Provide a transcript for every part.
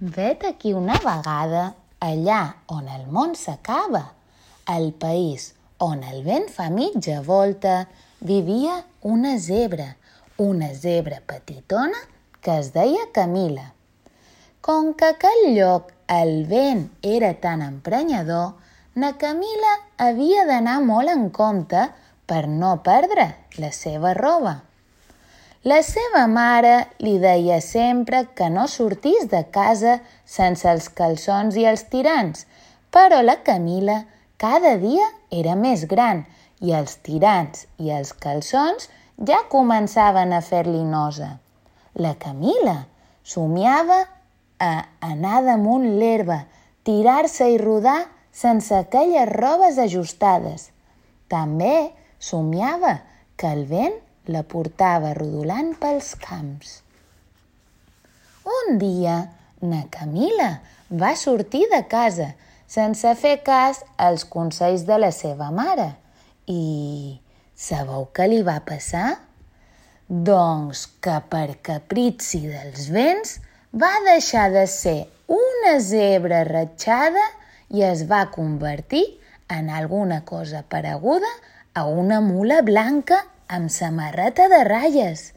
Vet aquí una vegada, allà on el món s'acaba, al país on el vent fa mitja volta, vivia una zebra petitona que es deia Camila. Com que a aquell lloc el vent era tan emprenyador, na Camila havia d'anar molt en compte per no perdre la seva roba. La seva mare li deia sempre que no sortís de casa sense els calçons i els tirants, però la Camila cada dia era més gran i els tirants i els calçons ja començaven a fer-li nosa. La Camila somiava a anar damunt l'herba, tirar-se i rodar sense aquelles robes ajustades. També somiava que el vent la portava rodolant pels camps. Un dia, na Camila va sortir de casa sense fer cas als consells de la seva mare. I sabeu què li va passar? Doncs que per caprici dels vents va deixar de ser una zebra ratxada i es va convertir en alguna cosa pareguda a una mula blanca amb samarreta de ratlles.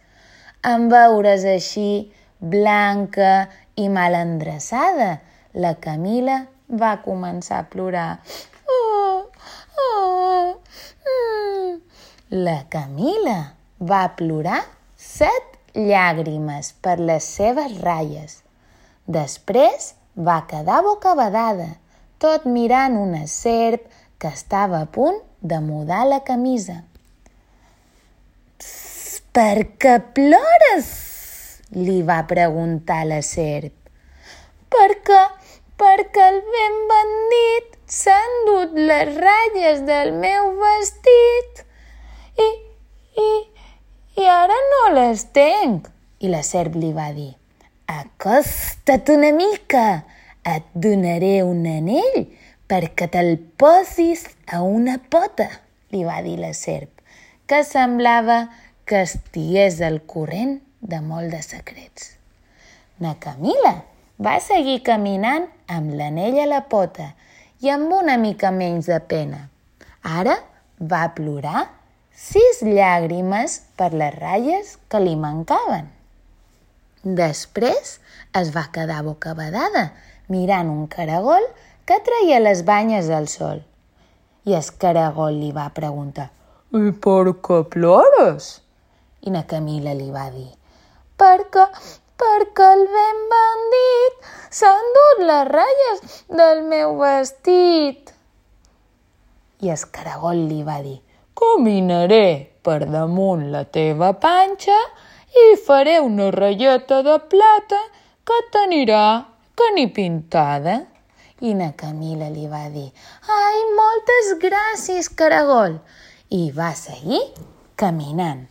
En veure's així, blanca i mal endreçada, la Camila va començar a plorar. La Camila va plorar 7 llàgrimes per les seves ratlles. Després va quedar bocabadada, tot mirant una serp que estava a punt de mudar la camisa. «Per què plores?», li va preguntar la serp. Perquè el vent bandit s'ha endut les ratlles del meu vestit i ara no les tenc. I la serp li va dir: «Acosta't una mica, et donaré un anell perquè te'l posis a una pota», li va dir la serp, que semblava que estigués al corrent de molt de secrets. Na Camila va seguir caminant amb l'anell a la pota i amb una mica menys de pena. Ara va plorar 6 llàgrimes per les ratlles que li mancaven. Després es va quedar bocabadada mirant un caragol que treia les banyes al sol. I el caragol li va preguntar: «I per què plores?» I na Camila li va dir: perquè el vent bandit s'ha endut les ratlles del meu vestit». I el caragol li va dir: «Caminaré per damunt la teva panxa i faré una ratlleta de plata que t'anirà que ni pintada». I na Camila li va dir: «Ai, moltes gràcies, caragol!» I va seguir caminant.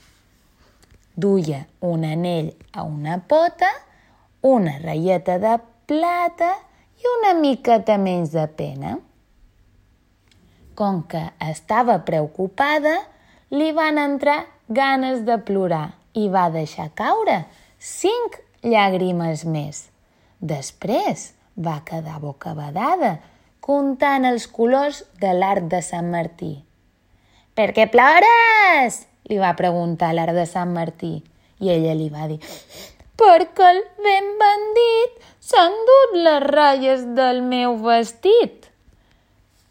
Duia un anell a una pota, una ratlleta de plata i una miqueta menys de pena. Com que estava preocupada, li van entrar ganes de plorar i va deixar caure 5 llàgrimes més. Després va quedar bocabadada, comptant els colors de l'arc de Sant Martí. «Per què plores?», li va preguntar l'arc de Sant Martí. I ella li va dir: «Perquè el vent bandit s'ha endut les ratlles del meu vestit».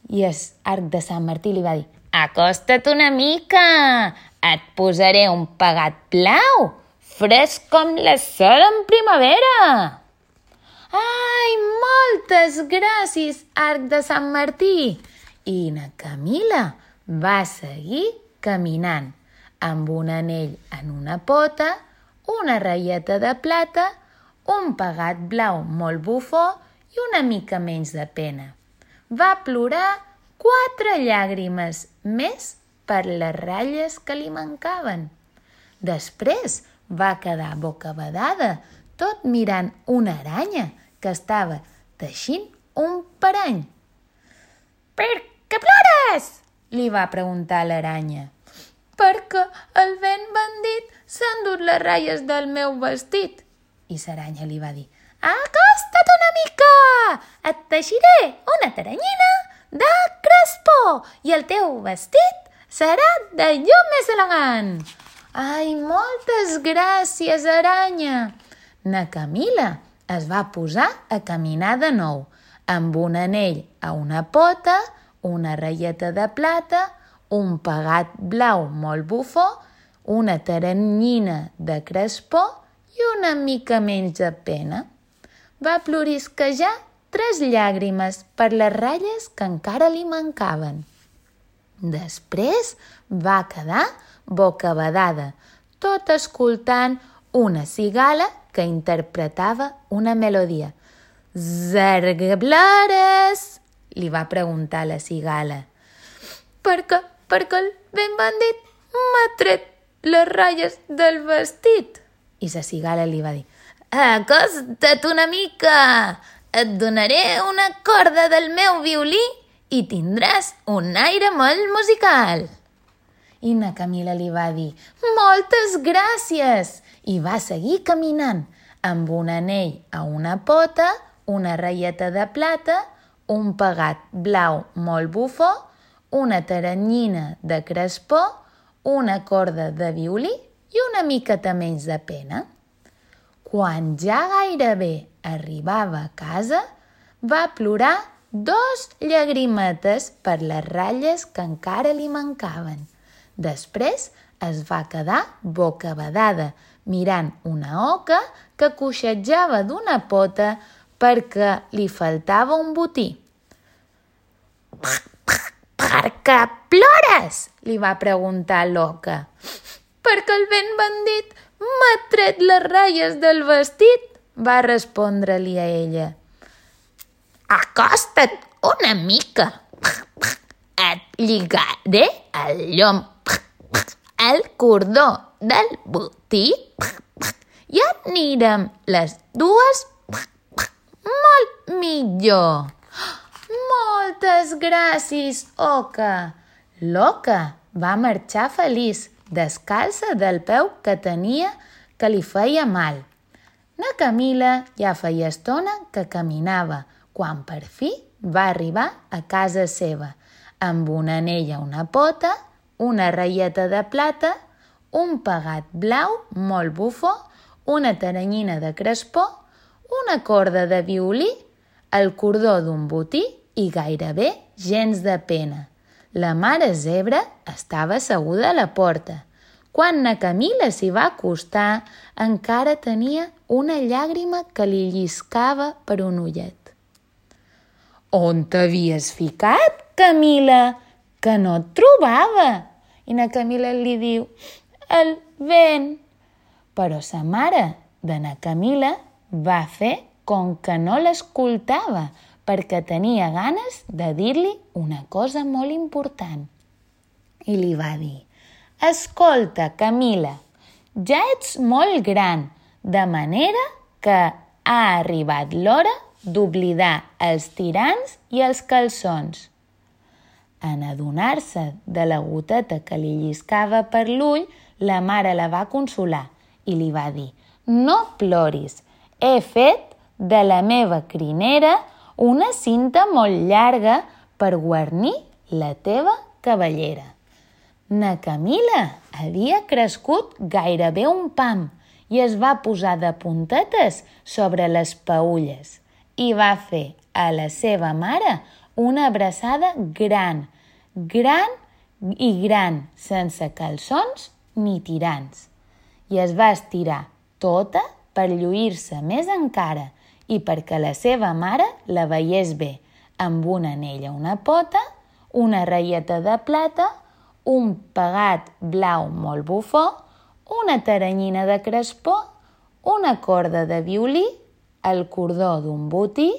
I l'arc de Sant Martí li va dir: «Acosta't una mica, et posaré un pegat blau, fresc com la sol en primavera». «Ai, moltes gràcies, arc de Sant Martí!» I na Camila va seguir caminant, amb un anell en una pota, una ratlleta de plata, un pegat blau molt bufó i una mica menys de pena. Va plorar 4 llàgrimes més per les ratlles que li mancaven. Després va quedar bocabadada, tot mirant una aranya que estava teixint un parany. «Per què plores?», li va preguntar l'aranya. «Perquè el vent bandit s'ha endut les ratlles del meu vestit». I l'aranya li va dir: «Acosta't una mica! Et teixiré una teranyina de crespó i el teu vestit serà d'allò més elegant. Ai, moltes gràcies, aranya! Na Camila es va posar a caminar de nou, amb un anell a una pota, una reieta de plata, un pegat blau molt bufó, una teranyina de crespó i una mica menys de pena. Va plorisquejar 3 llàgrimes per les ratlles que encara li mancaven. Després va quedar bocabadada, tot escoltant una cigala que interpretava una melodia. «Zargablores!», li va preguntar la cigala. Perquè el ben bandit m'ha tret les ratlles del vestit. I la cigala li va dir: «Acosta't una mica, et donaré una corda del meu violí i tindràs un aire molt musical». I na Camila li va dir: «Moltes gràcies!» I va seguir caminant, amb un anell a una pota, una reieta de plata, un pegat blau molt bufó, una teranyina de crespó, una corda de violí i una miqueta menys de pena. Quan ja gairebé arribava a casa, va plorar 2 llagrimetes per les ratlles que encara li mancaven. Després es va quedar bocabadada, mirant una oca que coixejava d'una pota perquè li faltava un botí. «Per què plores?», li va preguntar l'oca. «Perquè el ben bandit m'ha tret les ratlles del vestit», va respondre-li a ella. «Acosta't una mica, et lligaré el llom, el cordó del botí i anirem les dues molt millor». «Moltes gràcies, oca!» L'oca va marxar feliç, descalça del peu que tenia que li feia mal. Na Camila ja feia estona que caminava, quan per fi va arribar a casa seva, amb un anell a una pota, una reieta de plata, un pegat blau molt bufó, una teranyina de crespó, una corda de violí, el cordó d'un botí i gairebé gens de pena. La mare zebra estava asseguda a la porta. Quan na Camila s'hi va acostar, encara tenia una llàgrima que li lliscava per un ullet. «On t'havies ficat, Camila? Que no et trobava!» I na Camila li diu: «El vent». Però sa mare de na Camila va fer com que no l'escoltava, perquè tenia ganes de dir-li una cosa molt important. I li va dir: «Escolta, Camila, ja ets molt gran, de manera que ha arribat l'hora d'oblidar els tirants i els calçons». En adonar-se de la goteta que li lliscava per l'ull, la mare la va consolar i li va dir: «No ploris, he fet de la meva crinera una cinta molt llarga per guarnir la teva cabellera». Na Camila havia crescut gairebé un pam i es va posar de puntetes sobre les peülles i va fer a la seva mare una abraçada gran, sense calçons ni tirants. I es va estirar tota per lluir-se més encara i perquè la seva mare la veiés bé, amb un anell a una pota, una reieta de plata, un pegat blau molt bufó, una teranyina de crespó, una corda de violí, el cordó d'un botí,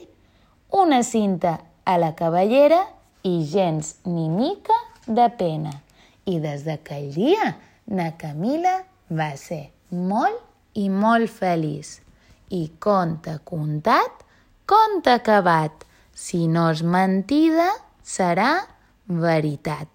una cinta a la cabellera i gens ni mica de pena. I des d'aquell dia, na Camila va ser molt i molt feliç. I conte contat, conte acabat. Si no és mentida, serà veritat.